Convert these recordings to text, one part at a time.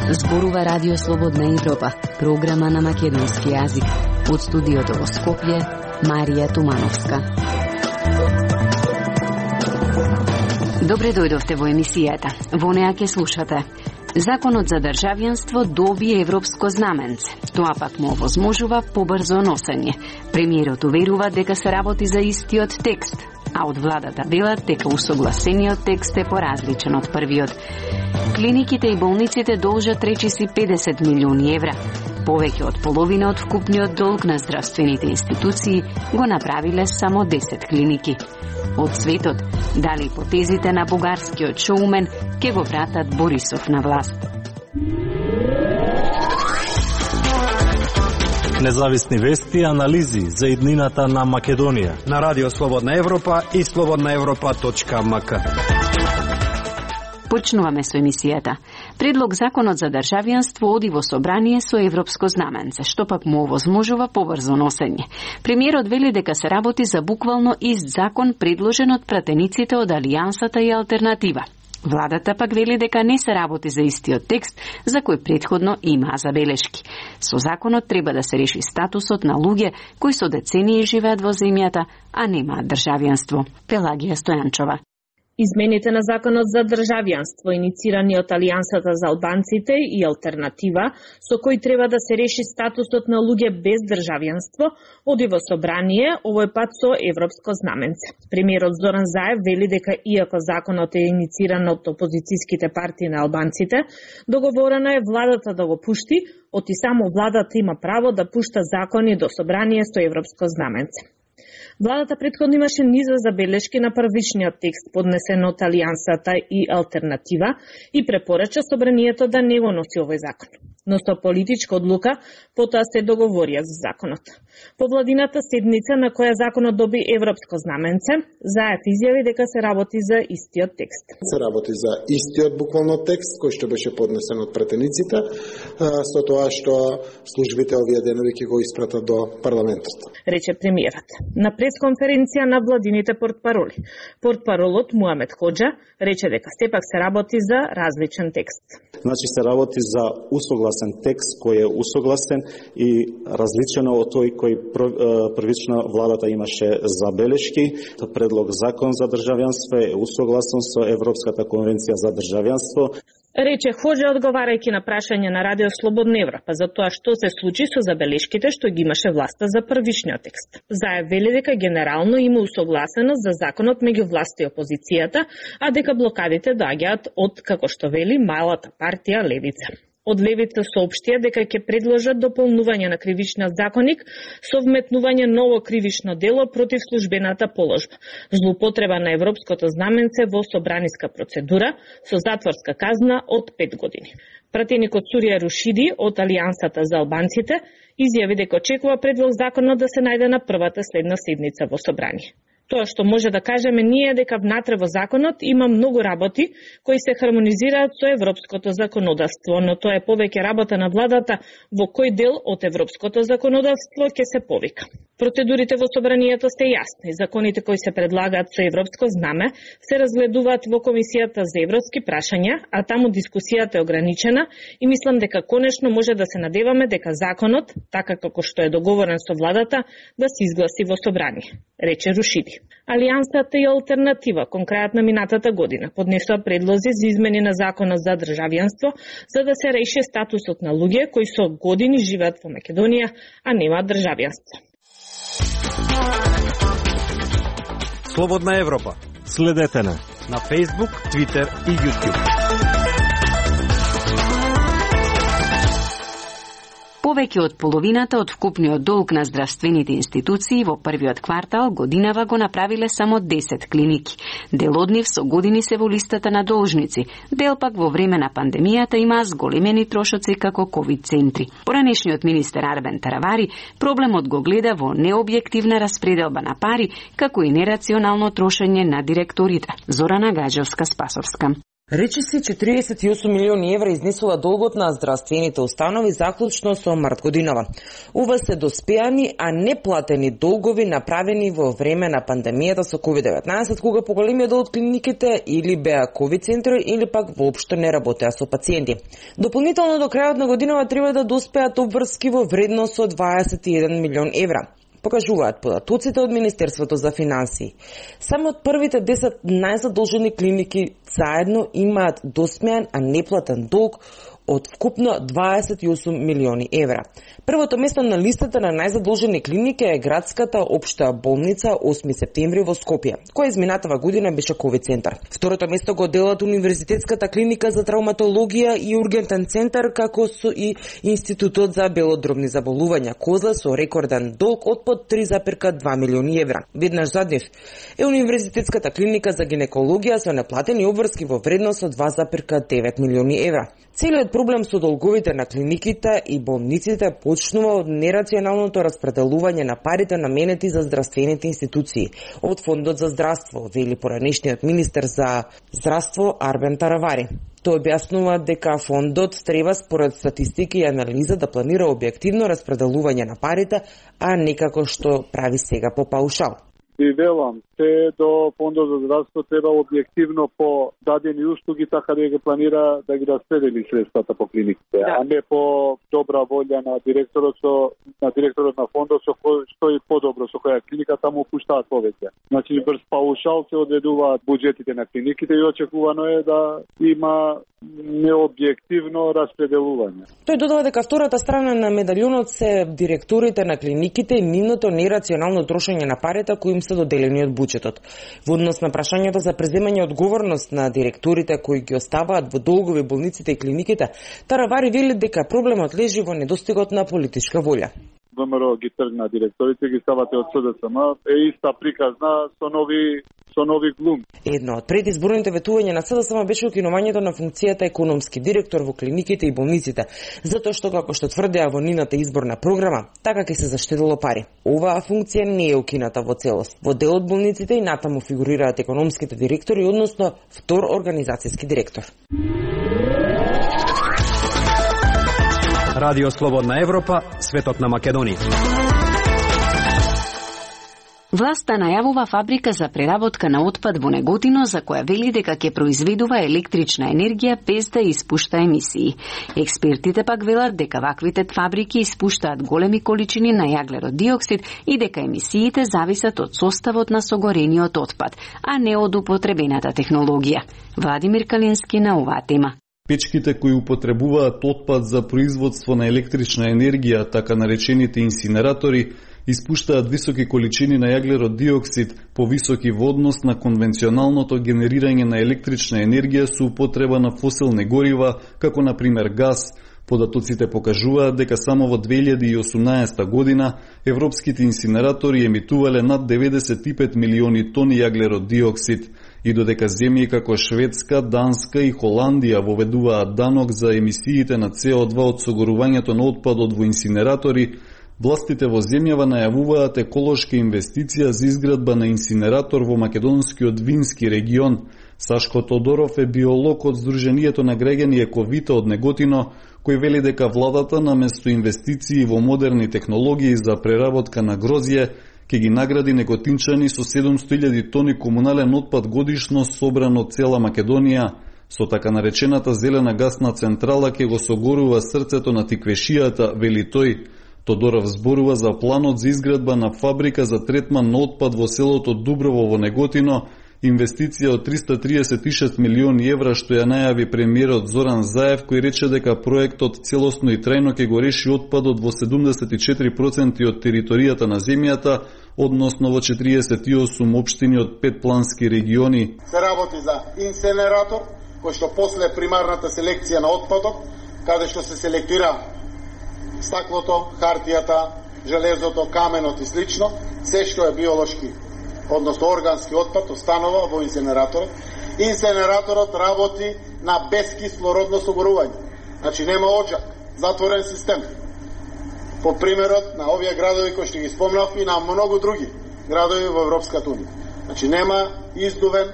Зборува Радио Слободна Европа, програма на македонски јазик. Од студиото во Скопје, Марија Тумановска. Добре дојдовте во емисијата. Во неа ќе слушате: Законот за државјанство доби европско знаменце. Тоа пак му овозможува побрзо носење. Премиерот уверува дека се работи за истиот текст, а од владата велат дека усогласениот текст е поразличен од првиот. Клиниките и болниците должат речиси 50 милиони евра. Повеќе од половина од вкупниот долг на здравствените институции го направиле само 10 клиники. Од светот, дали потезите на бугарскиот шоумен ќе го вратат Борисов на власт. Независни вести и анализи за иднината на Македонија на Радио Слободна Европа и slobodnaevropa.mk. Почнуваме со емисијата. Предлог законот за државјанство оди во собрание со европско знаменце, што пак му овозможува побрзо носење. Премиерот вели дека се работи за буквално ист закон предложен од пратениците од Алијансата и Алтернатива. Владата пак вели дека не се работи за истиот текст, за кој претходно имаа забелешки. Со законот треба да се реши статусот на луѓе кои со децении живеат во земјата, а немаат државјанство. Пелагија Стојанчова. Измените на законот за државјанство, иницирани од Алијансата за албанците и Алтернатива, со кој треба да се реши статусот на луѓе без државјанство, оди во собрание, овој пат со европско знаменце. Премиерот Зоран Заев вели дека иако законот е инициран од опозицијските партии на албанците, договорено е владата да го пушти, оти само владата има право да пушта закони до собрание со европско знаменце. Владата претходно имаше низ забелешки на првичниот текст поднесен од Алијансата и Алтернатива и препорача собранието да не го носи овој закон. Но со политичка одлука потоа се договорија за законот. По владината седница на која законот доби европско знаменце, Заев изјави дека се работи за истиот текст. Се работи за истиот буквално текст кој што беше поднесен од пратениците, со тоа што службите овие денови ќе го испратат до парламентот. Рече премиерот на пресконференција на владините портпароли. Портпаролот Муамед Хоџа рече дека сепак се работи за различен текст. Значи се работи за усогласен текст кој е усогласен и различен од тој кој првично владата имаше забелешки. Предлог закон за државјанство е усогласен со Европската конвенција за државјанство. Рече Хоџа одговарајќи на прашање на Радио Слободна Европа за тоа што се случи со забелешките што ги имаше власта за првичниот текст. Заев вели дека генерално има усогласеност за законот меѓу власта и опозицијата, а дека блокадите доаѓаат од, како што вели, малата партија Левица. Од Левица соопштија дека ќе предложат дополнување на кривичниот законник со вметнување ново кривично дело против службената положба, злоупотреба на европското знаменце во собраниска процедура со затворска казна од 5 години. Пратеникот Сурија Рушиди од Алијансата за албанците изјави дека очекува предлог законот да се најде на првата следна седница во собрание. Тоа што може да кажеме ние дека внатре во законот има многу работи кои се хармонизираат со европското законодавство, но тоа е повеќе работа на владата во кој дел од европското законодавство ќе се повика. Процедурите во собранието се јасни. Законите кои се предлагаат со европско знаме се разгледуваат во Комисијата за европски прашања, а таму дискусијата е ограничена и мислам дека конечно може да се надеваме дека законот, така како што е договорен со владата, да се изгласи во собрание, рече Рушиди. Алијансата и Алтернатива кон крајот на минатата година поднесоа предлози за измени на законот за државјанство за да се реши статусот на луѓе кои со години живеат во Македонија, а немаат државјанство. Слободна Европа. Следете на Facebook, Twitter и YouTube. Повеќе од половината од вкупниот долг на здравствените институции во првиот квартал годинава го направиле само 10 клиники. Дел од нив со години се во листата на должници, дел пак во време на пандемијата има зголемени трошоци како ковид центри. Поранешниот министер Арбен Таравари проблемот го гледа во необјективна распределба на пари, како и нерационално трошење на директорите. Зорана Гаџевска-Спасовска. Речиси 48 милиони евра изнесува долгот на здравствените установи заклучно со март годинава. Ова се доспеани, а неплатени долгови направени во време на пандемијата со COVID-19, кога поголемиот дел од клиниките или беа COVID центри или пак воопшто не работеа со пациенти. Дополнително до крајот на годинава треба да доспеат обврски во вредност од 21 милион евра. Покажуваат податоците од Министерството за финансии. Само од првите 10 најзадолжени клиники заедно имаат досмеан, а неплатен долг од вкупно 28 милиони евра. Првото место на листата на најзадолжени клиники е градската општа болница 8 септември во Скопје, која изминатава година беше COVID центар. Второто место го делат Универзитетската клиника за травматологија и ургентен центар, како со и Институтот за белодробни заболувања Козла со рекорден долг од под 3,2 милиони евра. Веднаш зад нив е Универзитетската клиника за гинекологија со неплатени обврски во вредност од 2,9 милиони евра. Целиот проблем со долговите на клиниките и болниците почнува од нерационалното распределување на парите наменети за здравствените институции од Фондот за здравство, вели поранешниот министер за здравство Арбен Таравари. Тој објаснува дека фондот треба според статистики и анализа да планира објективно распределување на парите, а не како што прави сега по паушал. Ви велам, се до Фондот за здравство треба објективно по дадени услуги, така да ги планира да ги распредели средствата по клиниките, а не по добра волја на директорот на фондот што и подобро со која клиника таму пуштаат повеќе. Значи врз паушал се одредуваат буџетите на клиниките и очекувано е да има необјективно распределување. Тој додава дека втората страна на медалјонот се директорите на клиниките и нивното нерационално трошење на парите кои им се доделени од буџетот. Во однос на прашањето за преземање одговорност на директорите кои ги оставаат во долгови болниците и клиниките, Таравари вели дека проблемот лежи во недостигот на политичка волја. ВМРО ги тргна директорите, ги ставате од СДСМ, е иста приказна со нови глум. Едно од предизборните ветувања на СДСМ беше укинувањето на функцијата економски директор во клиниките и болниците, затоа што, како што тврдеа во нивната изборна програма, така ќе се заштедило пари. Оваа функција не е укината во целост. Во дел од болниците и натаму фигурираат економските директори, односно втор организацијски директор. Радио Слободна Европа, светот на Македонија. Власта најавува фабрика за преработка на отпад во Неготино, за која вели дека ќе произведува електрична енергија без да испушта емисии. Експертите пак велат дека ваквите фабрики испуштаат големи количини на јаглерод диоксид и дека емисиите зависат од составот на согорениот отпад, а не од употребената технологија. Владимир Калински на оваа тема. Печките кои употребуваат отпад за производство на електрична енергија, така наречените инсинератори, испуштаат високи количини на јаглерод диоксид, повисоки во однос на конвенционалното генерирање на електрична енергија со употреба на фосилни горива, како на пример газ. Податоците покажуваат дека само во 2018 година европските инсинератори емитувале над 95 милиони тони јаглерод диоксид, и додека земји како Шведска, Данска и Холандија воведуваат данок за емисиите на CO2 од согорувањето на отпадот во инсинератори, властите во земјава најавуваат еколошка инвестиција за изградба на инсинератор во македонскиот Вински регион. Сашко Тодоров е биолог од Сдруженијето на граѓани Ековита од Неготино, кој вели дека владата наместо инвестиции во модерни технологии за преработка на грозје, ќе ги награди неготинчани со 700.000 тони комунален отпад годишно собран од цела Македонија. Со така наречената зелена гасна централа ќе го согорува срцето на тиквешијата, вели тој. Тодоров зборува за планот за изградба на фабрика за третман на отпад во селото Дуброво во Неготино, инвестиција од 336 милиони евра што ја најави премиерот Зоран Заев, кој рече дека проектот целосно и трајно ќе го реши отпадот во 74% од територијата на земјата, односно во 48 општини од 5 плански региони. Се работи за инсинератор, кој што после примарната селекција на отпадот, каде што се селектира стаклото, хартијата, железото, каменот и слично, се што е биолошки, односно органски отпад, останува во инсинераторот. Инсинераторот работи на безкислородно согорување. Значи нема оджак, затворен систем. По примерот на овие градови кои што ги спомнавме и на многу други градови во Европската унија. Значи нема издувен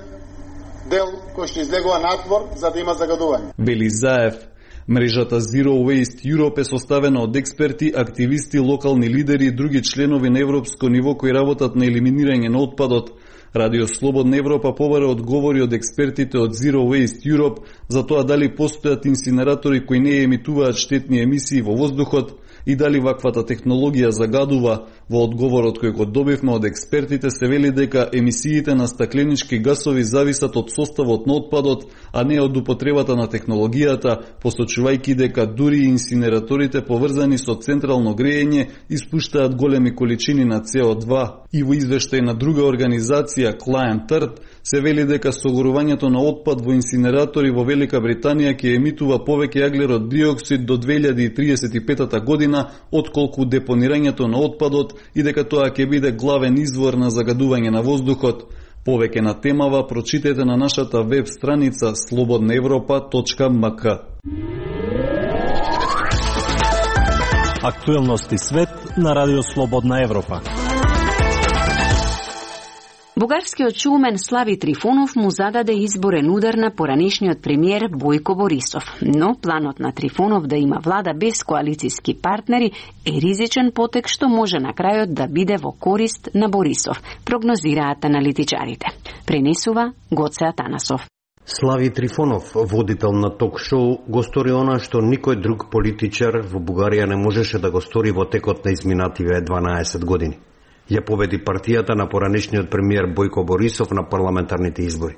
дел кој што излегува надвор за да има загадување. Вели Заев. Мрежата Zero Waste Europe е составена од експерти, активисти, локални лидери и други членови на европско ниво кои работат на елиминирање на отпадот. Радио Слободна Европа побара одговори од експертите од Zero Waste Europe за тоа дали постојат инсинератори кои не емитуваат штетни емисии во воздухот и дали ваквата технологија загадува. Во одговорот кој го добивме од експертите се вели дека емисиите на стакленички гасови зависат од составот на отпадот, а не од употребата на технологијата, посочувајќи дека дури инсинераторите поврзани со централно грејење испуштаат големи количини на CO2. И во извештај на друга организација, Client Earth, се вели дека согорувањето на отпад во инсинератори во Велика Британија ќе емитува повеќе јаглерод диоксид до 2035 година отколку депонирањето на отпадот и дека тоа ќе биде главен извор на загадување на воздухот. Повеќе на темава прочитете на нашата веб страница slobodnaevropa.mk. Актуелности свет на Радио Слободна Европа. Бугарскиот шоумен Слави Трифонов му зададе изборен удар на поранешниот премиер Бојко Борисов. Но планот на Трифонов да има влада без коалициски партнери е ризичен потек што може на крајот да биде во корист на Борисов, прогнозираат аналитичарите. Пренесува Гоце Атанасов. Слави Трифонов, водител на ток-шоу, го стори она што никој друг политичар во Бугарија не можеше да го стори во текот на изминативе 12 години. Ја победи партијата на поранешниот премиер Бојко Борисов на парламентарните избори.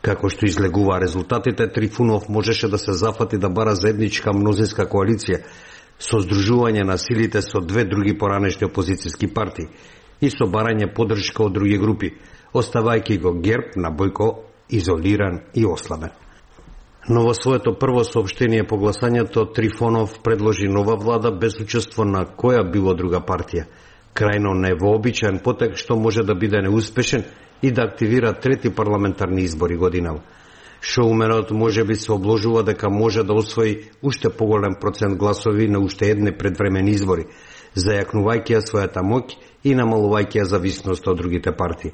Како што излегува резултатите, Трифонов можеше да се зафати да бара заедничка мнозинска коалиција со здружување на силите со две други поранешни опозицијски партии и со барање поддршка од други групи, оставајќи го ГЕРБ на Бојко изолиран и ослабен. Но во своето прво соопштение по гласањето Трифонов предложи нова влада без учество на која било друга партија. Крајно невообичаен потек што може да биде неуспешен и да активира трети парламентарни избори годинава. Шоуменот може би се обложува дека може да освои уште поголем процент гласови на уште едни предвремени избори, зајакнувајќи ја својата моќ и намалувајќи ја зависност од другите партии.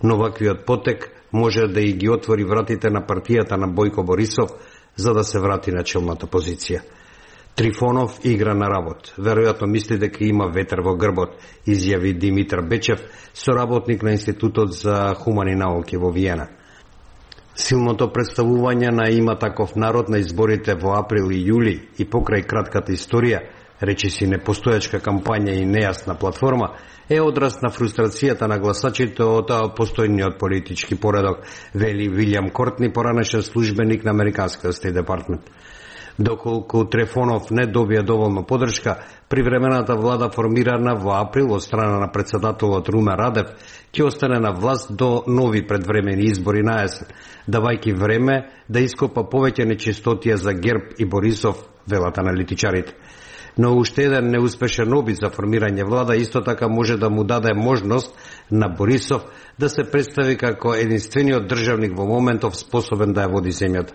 Но ваквиот потек може да и ги отвори вратите на партијата на Бојко Борисов за да се врати на челната позиција. Трифонов игра на работ. Веројатно мисли дека има ветер во грбот, изјави Димитар Бечев, соработник на Институтот за хумани науки во Виена. Силното представување на има таков народ на изборите во април и јули и покрај кратката историја, речиси непостојачка кампања и нејасна платформа, е одраз на фрустрацијата на гласачите од постојниот политички поредок, вели Вилјам Кортни, поранешен службеник на Американскиот Стейт Департмент. Доколку Трифонов не добија доволно поддршка, привремената влада формирана во април од страна на председателот Румен Радев ќе остане на власт до нови предвремени избори на есен, давајќи време да ископа повеќе нечистотија за ГЕРБ и Борисов, велат аналитичарите. Но уште еден неуспешен обид за формирање влада исто така може да му даде можност на Борисов да се представи како единствениот државник во моментов способен да ја води земјата.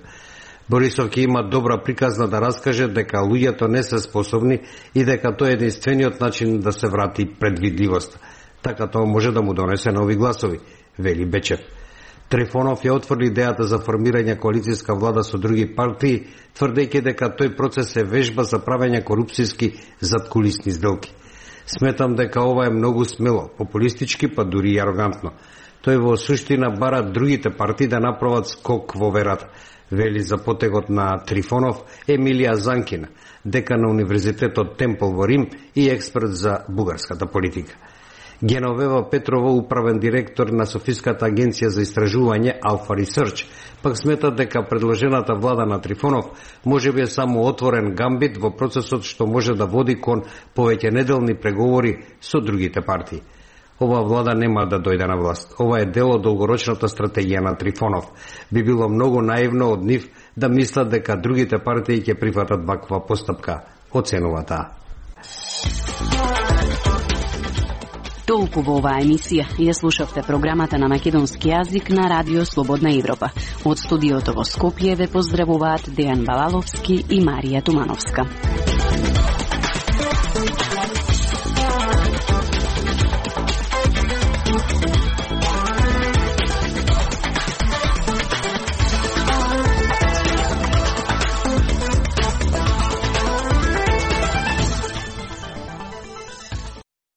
Борисов ќе има добра приказна да раскаже дека луѓето не се способни и дека тоа е единствениот начин да се врати предвидливост. Така тоа може да му донесе нови гласови, вели Бечев. Трифонов ја отврли идејата за формирање коалицијска влада со други партии, тврдејќи дека тој процес е вежба за правење корупцијски заткулисни сделки. Сметам дека ова е многу смело, популистички, па дури и арогантно. Тој во суштина бара другите партии да направат скок во верата, вели за потегот на Трифонов Емилија Занкина, декан на Универзитетот Темпл во Рим и експерт за бугарската политика. Геновева Петрова, управен директор на Софиската агенција за истражување Alpha Research, пак смета дека предложената влада на Трифонов може би е само отворен гамбит во процесот што може да води кон повеќе неделни преговори со другите партии. Ова влада нема да дојде на власт. Ова е дел од долгорочната стратегија на Трифонов. Би било многу наивно од нив да мислат дека другите партии ќе прифатат ваква постапка, оценува таа. Толку во оваа емисија. Ја слушавте програмата на македонски јазик на Радио Слободна Европа. Од студиото во Скопје ве поздравуваат Дејан Балаловски и Марија Тумановска.